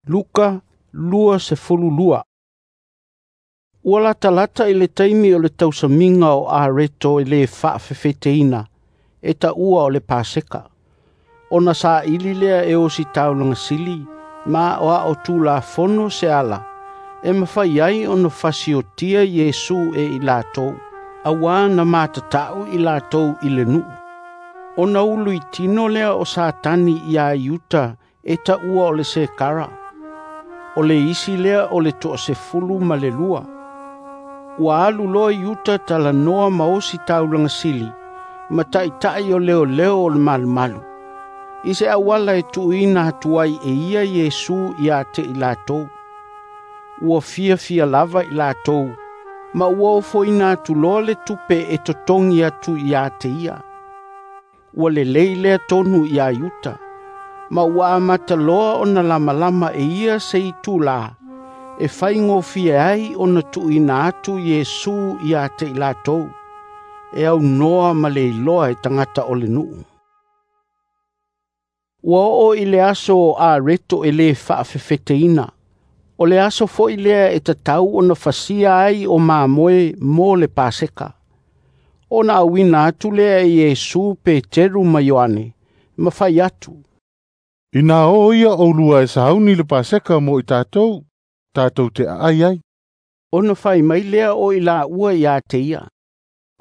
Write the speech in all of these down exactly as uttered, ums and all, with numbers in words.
Luka luasefululua. Ua latalata i le taimi o le tausamiga o areto e lē faafefeteina e taua o le Paseka. Ona saili lea e ositaulaga sili ma aoao tulafono se ala e mafai ai ona fasiotia Iesu e i latou, auā na matatau i latou i le nuu. Ona uluitino lea o Satani iā Iuta e taua o le Sekara, o le isi lea o le toasefulu ma le lua. Ua alu loa Iuta talanoa ma ositaulaga sili ma taʻitaʻi o leoleo o le malumalu, i se auala e tuuina atu ai e ia Iesu ia te i latou. Ua fiafia lava i latou, ma ua ofoina atu loa le tupe e totogi atu ia te ia. Ua lelei lea tonu iā Iuta, ma ua amata loa ona lamalama e ia se itulā e faigofie ai ona tuuina atu Iesu ia te i latou, e aunoa ma le iloa e tagata o le nuu. Ua oo i le aso o areto e lē faafefeteina, o le aso foʻi lea e tatau ona fasia ai o mamoe mo le Paseka. Ona auina atu lea e Iesu Peteru ma Ioane, ma fai atu, Ina o ia oulua e sauni le Paseka mo i tatou, tatou te aai ai. Ona fai mai lea o i laua ia te ia,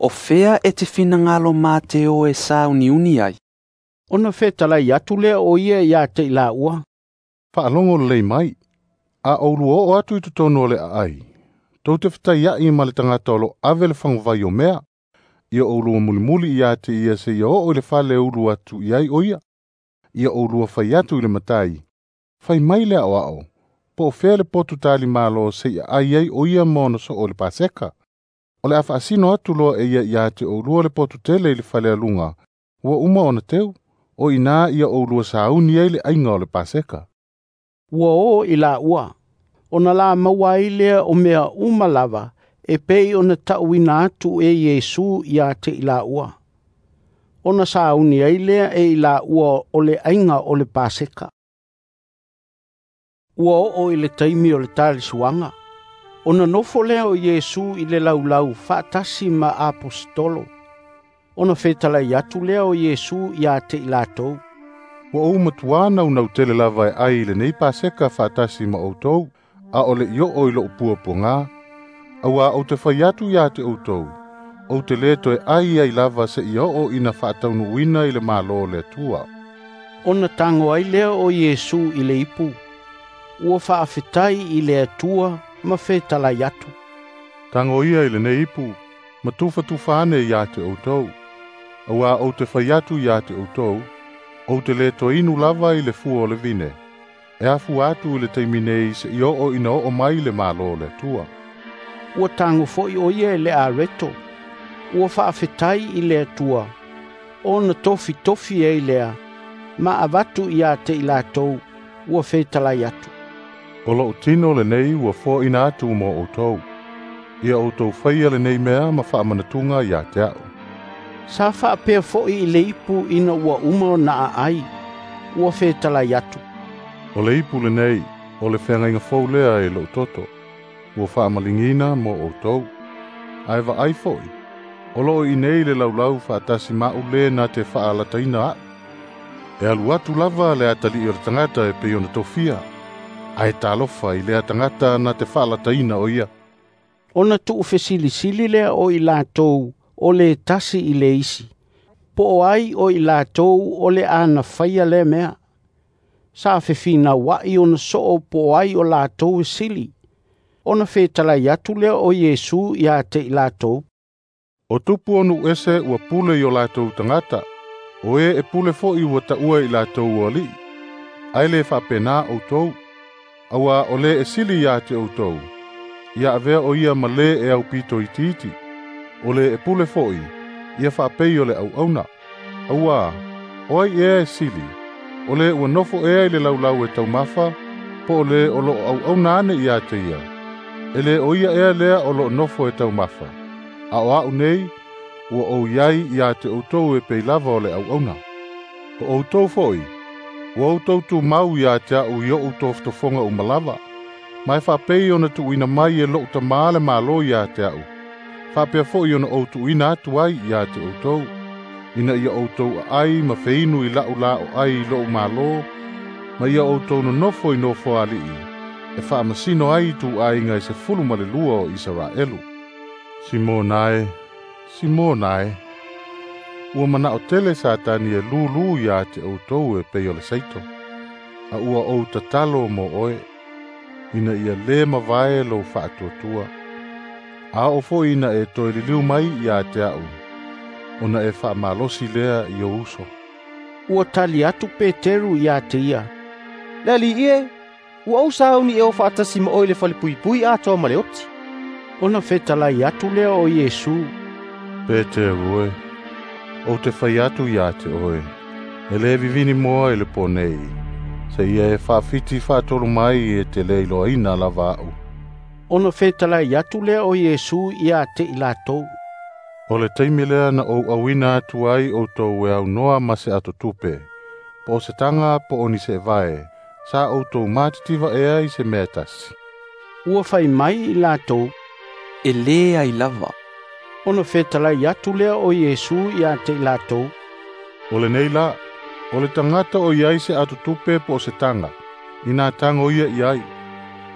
O fea e te finagalo ma te o e sauniuni ai. Ona fetalai atu lea o ia ia te i laua, Faalogo lelei mai, a oulua oo atu i totonu o le aai, tou te fetaiai ma le tagata o lo ave le faguvai o mea, ia oulua mulimuli ia te ia seia oo i le fale e ulu atu i ai o ia. Ia oulua fai atu i le matai, fai mai le aoao, po o fea le potu talimalo seia aai ai o ia ma ona soo o le Paseka. O le a faasino atu loa e ia ia te oulua le potu tele i le fale aluga, ua uma ona teu, o ina ia oulua sauni ai le aiga o le Paseka. Ua o i laua, ona la maua ai lea o mea uma lava e pei ona taʻuina atu e Iesu ia te i laua. Ona sauni ai lea e i laua o le aiga o le Paseka. Ua oo i le taimi o le talisuaga, ona nofo lea o Iesu i le laulau faatasi ma aposetolo. Ona fetalai atu lea o Iesu ia te i latou, Ua ou matuā naunau tele lava e ai i lenei Paseka faatasi ma outou, a o le i oo i lou puapuagā. Auā ou te fai atu ia te outou, ou te lē toe ai ai lava seia oo ina faataunuuina i le Malo o le Atua. Ona tago ai lea o Iesu i le ipu, ua faafetai i le Atua ma fetalai atu, Tago ia i lenei ipu, ma tufatufa ane ia te outou. Auā ou te fai atu ia te outou, ou te lē toe inu lava i le fua o le vine, e afua atu i le taimi nei seia oo ina oo mai le Malo o le Atua. Ua tago foʻi o ia e le areto, ua faafetai i le Atua, ona tofitofi ai lea, ma avatu ia te i latou, ua fetalai atu, O lou tino lenei ua foaina atu mo outou. Ia outou faia lenei mea ma faamanatuga ia te aʻu. Sa faapea foʻi i le ipu ina ua uma ona aai, ua fetalai atu, O le ipu lenei, o le feagaiga fou lea e lou toto, ua faamaligiina mo outou. Ae vaai foʻi, o loo i nei le laulau faatasi maʻu lē na te faalataina aʻu. E alu atu lava le atalii o le tagata e pei ona tofia, ae talofa i lea tagata na te faalataina o ia. Ona tuufesilisili lea o i latou o le tasi i le isi, po o ai o i latou o le ana faia lea mea. Sa fefinauaʻi ona soo po o ai o latou e sili. Ona fetalai atu lea o Iesu ia te i latou, O tupu o nuu ese ua pule i o latou tagata, o e e pule foʻi ua taua i latou o alii. Ae lē faapenā outou, auā o lē e sili ia te outou, ia avea o ia ma lē e aupito itiiti. O lē e pule foʻi, ia faapei o le auauna. Auā, o ai ea e sili, o lē ua nofo ea i le laulau e taumafa, po o lē o loo auauna ane ia te ia. E lē o ia ea lea o loo nofo e taumafa. A o aʻu nei, ua ou iai ia te outou e pei lava o le auauna. O outou foʻi, Ua outou tumau ia te a'u i o'u tofotofoga uma lava, ma e faapei ona tuuina mai e lo'u Tamā le Malo ia te a'u, faapea fo'i ona ou tuuina atu ai ia te outou, ina ia outou aai ma feinu i la'u la o ai i lo'u Malo, ma ia outou nonofo i nofoali'i, e faamasino ai ituaiga e sefulu ma le lua o Isaraelu. Simona e, Simona e, ua mana'o tele Satani e lūlū iā te outou e pei o le saito, a ua ou tatalo mo oe, ina ia lē mavae lou faatuatua. A oo fo'i ina e toe liliu mai iā te a'u, ona e faamalosi lea i ou uso. Ua tali atu Peteru iā te ia, Le Alii e, ua ou sauni e o faatasi ma oe i le falepuipui atoa ma le oti. Ona fetalai atu lea o Iesu, Peteru e, ou te fai atu iā te oe, e lē vivini moa i le pō nei, seia e faafiti faatolu mai e te lē iloaina lava a'u. Ona fetalai atu lea o Iesu iā te i latou, O le taimi lea na ou auina atu ai outou e aunoa ma se atotupe, po o se taga po o ni seevae, sa outou matitiva ea i se mea e tasi. Ua fai mai i latou, E lē ai lava. Ona fetalai atu lea o Iesu ia te i latou, O lenei la, o le tagata o iai se atotupe po o se taga, inā tago ia i ai.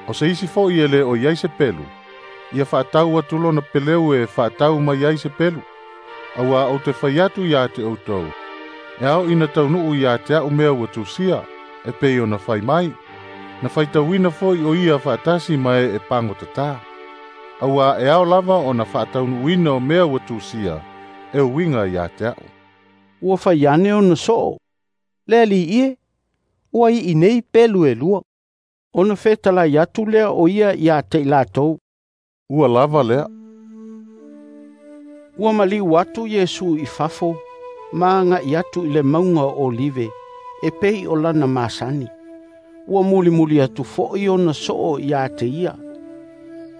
O se isi fo'i e lē o iai se pelu, ia faatau atu lona peleu e faatau mai ai se pelu. Auā ou te fai atu iā te outou, e ao ina taunuu iā te a'u mea ua tusia, e pei ona fai mai, na faitauina fo'i o ia faatasi ma e e pagotatā. Auā e ao lava ona faataunuuina o mea ua tusia, e uiga iā te a'u. Ua fai ane ona soo, Le Alii e, ua i'i nei pelu e lua. Ona fetalai atu lea o ia ia te i latou, Ua lava lea. Ua maliu atu Iesu i fafo, ma aga'i atu i le mauga o Olive, e pei o lana masani. Ua mulimuli atu fo'i ona soo iā te ia.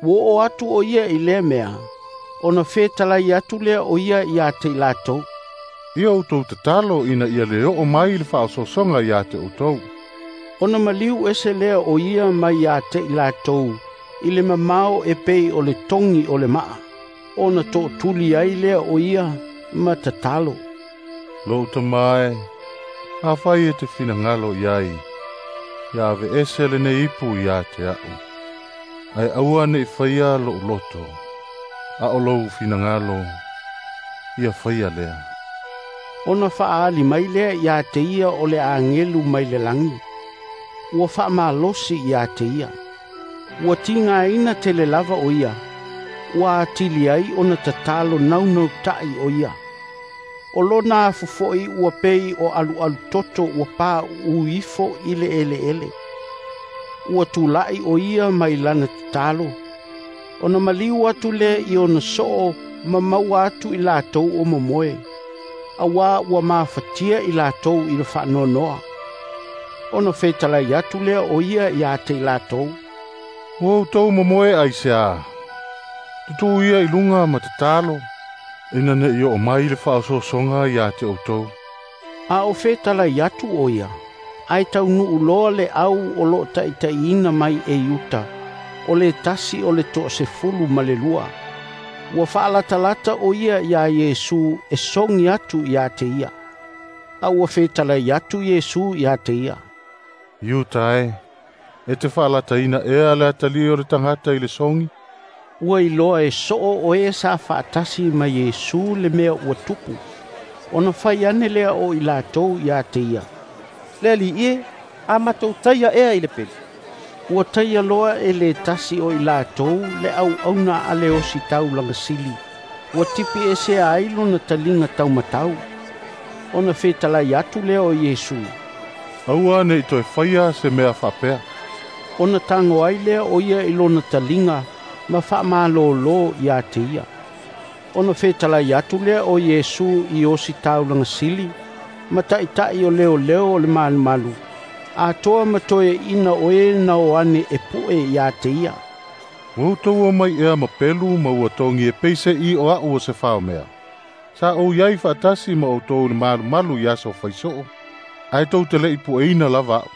Ua oo atu o ia i lea mea, ona fetalai atu lea o ia iā te i latou, Ia outou tatalo ina ia lē oo mai le faaosoosoga iā te outou. Ona maliu ese lea o ia mai iā te i latou, i le mamao e pei o le togi o le maa, ona tootuli ai lea o ia ma tatalo. Lo'u Tamā e, afai e te finagalo i ai, ia aveese lenei ipu iā te a'u. Ae aua ne'i faia lo'u loto, a o lou finagalo, ia faia lea. Ona faaali mai lea iā te ia o le agelu mai le lagi. Ua faamalosi iā te ia. Ua tigaina tele lava o ia. Ua atili ai ona tatalo naunauta'i o ia. O lona afu fo'i ua pei o alualu toto ua pauu ifo i le eleele. Ua tula'i o ia mai lana tatalo. Ona maliu atu lea i ona soo ma maua atu i latou o momoe. Auā ua mafatia i latou i le faanoanoa. Ona fetalai atu lea o ia iā te i latou, Ua outou momoe aiseā, tutū ia i luga ma tatalo, ina ne'i oo mai le faaosoosoga iā te outou. A o fetalai atu o ia, ae taunuu loa le au o loo taʻitaʻiina mai e Iuta, o le tasi o le toasefulu ma le lua. Ua faalatalata o ia iā Iesu e sogi atu iā te ia. A ua fetalai atu Iesu iā te ia, Iuta e, e te faalataina ea le atalii o le tagata i le sogi. Ua iloa e soo o e sa faatasi ma Iesu le mea ua tupu. Ona fai ane lea o i latou iā te ia, Le Alii e, a matou taia ea i le pelu. Ua taia loa e le tasi o i latou le auauna a le ositaulaga sili. Ua tipi esea ai lona taliga taumatau. Ona fetalai atu lea o Iesu, Aua ne'i toe faia se mea faapea. Ona tago ai lea o ia i lona taliga ma faamalōlō iā te ia. Ona fetalai atu lea o Iesu i ositaulaga sili, ma taʻitaʻi o leoleo o le malumalu, atoa ma toeaʻina o e na o ane e puʻe iā te ia. Ua outou omai ea ma pelu ma ua togi e peiseʻi o a'u o se faomea. Sa ou iai faatasi ma outou i le malumalu i aso faisoo. Ae tou te le'i pueina lava a'u.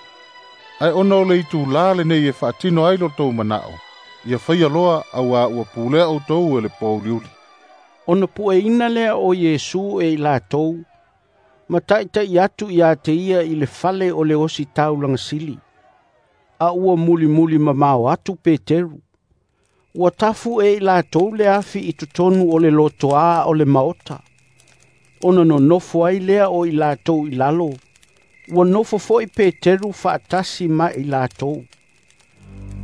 Ae ona o le itulā lenei e faatino ai lo tou mana'o, ia faia loa auā ua pulea outou e le pouliuli. Ona pueina lea o Iesu e i latou, ma ta'ita'i atu iā te ia i le fale o le ositaulaga sili. A ua mulimuli mamao atu Peteru. Ua tafu e i latou le afi i totonu o le lotoā o le maota. Ona nonofo ai lea o i latou i lalo, ua nofo fo'i Peteru fa'atasi ma i latou.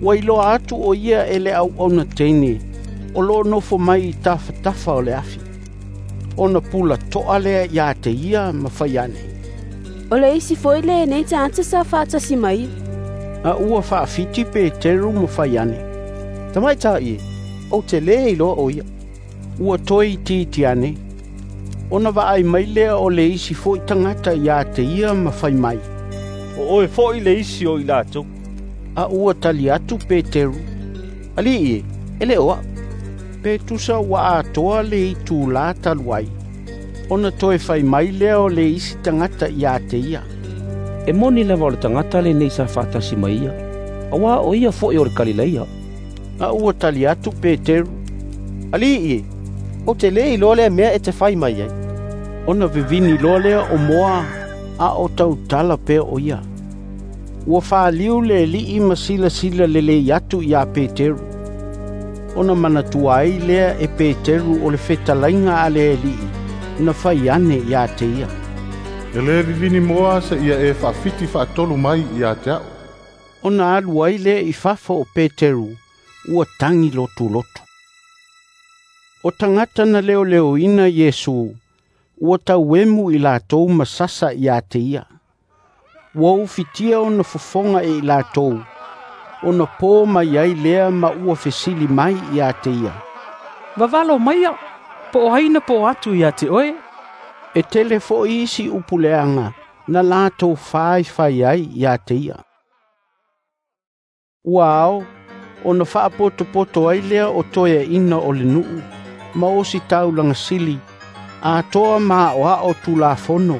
Ua iloa atu o ia e le auauna teine, o loo nofo mai i tafatafa o le afi. Ona pula to'a lea iā te ia ma fai ane, O le isi fo'i lenei tagata sa fa'atasi mai. A ua fa'afiti Peteru ma fai ane, Tamaita'i e, ou te lē iloa o ia. Ua toe itiiti ane. Ona vaai mai lea o le isi fo'i tagata iā te ia ma fai mai, O oe fo'i le isi o i latou. A ua tali atu Peteru, Ali'i e, e lē o a'u. Pe tusa ua atoa le itulā talu ai. Ona toe fai mai lea o le isi tagata iā te ia, E moni lava o le tagata lenei sa fa'atasi mai ia, auā o ia fo'i o le Kalileia. A ua tali atu Peteru, Ali'i e, ou te lē iloa lea mea e te fai mai ai. Ona vivini loa lea o moa, a o tautala pea o ia. Ua faliu le ali'i ma silasila lelei atu iā Peteru. Ona manatua ai lea e Peteru o le fetalaiga a le ali'i, na fai ane iā te ia, E lē vivini moa se'ia e fa'afiti fa'atolu mai iā te a'u. Ona alu ai lea i fafo o Peteru, ua tagi lotulotu. O tagata na leoleoina Iesu, ua tauemu i latou ma sasa iā te ia. Ua ufitia ona fofoga e i latou, ona pō mai ai lea ma ua fesili mai iā te ia, Vavalo maia, po o ai na pō atu ia te oe. E tele fo'i isi upu leaga na latou faifai ai iā te ia. Ua ao, ona fa'apotopoto ai lea o toeaʻina o le nu'u, ma ositaulaga sili, atoa ma a'oa'o tulafono.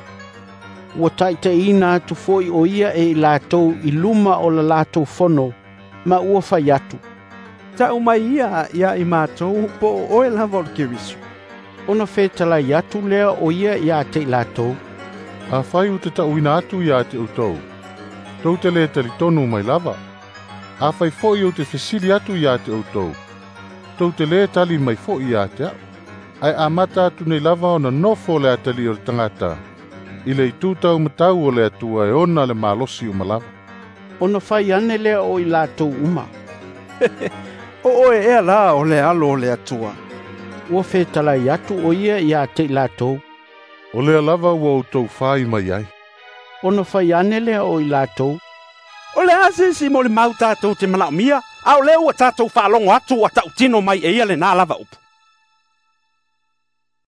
Ua ta'itaʻiina atu fo'i o ia e i latou i luma o la latou fono, ma ua fai atu, Ta'u mai ia ia i matou po o oe lava o le Keriso. Ona fetalai atu lea o ia iā te i latou, Afai ou te ta'uina atu iā te outou, tou te lē talitonu mai lava. Afai fo'i ou te fesili atu iā te outou, tou te lē tali mai fo'i iā te a'u. Ae amata atu nei lava ona nofo le atalii o le tagata, i le itū taumatau o le Atua e ona le malosi uma lava. Ona fai ane lea o i latou uma, O oe ea la o le alo o le Atua. Ua fetalai atu o ia iā te i latou, O lea lava ua outou fai mai ai. Ona fai ane lea o i latou, O le a se isi molimau tatou te manaʻomia, a o lea ua tatou faalogo atu ua ta'utino mai e ia lenā lava upu.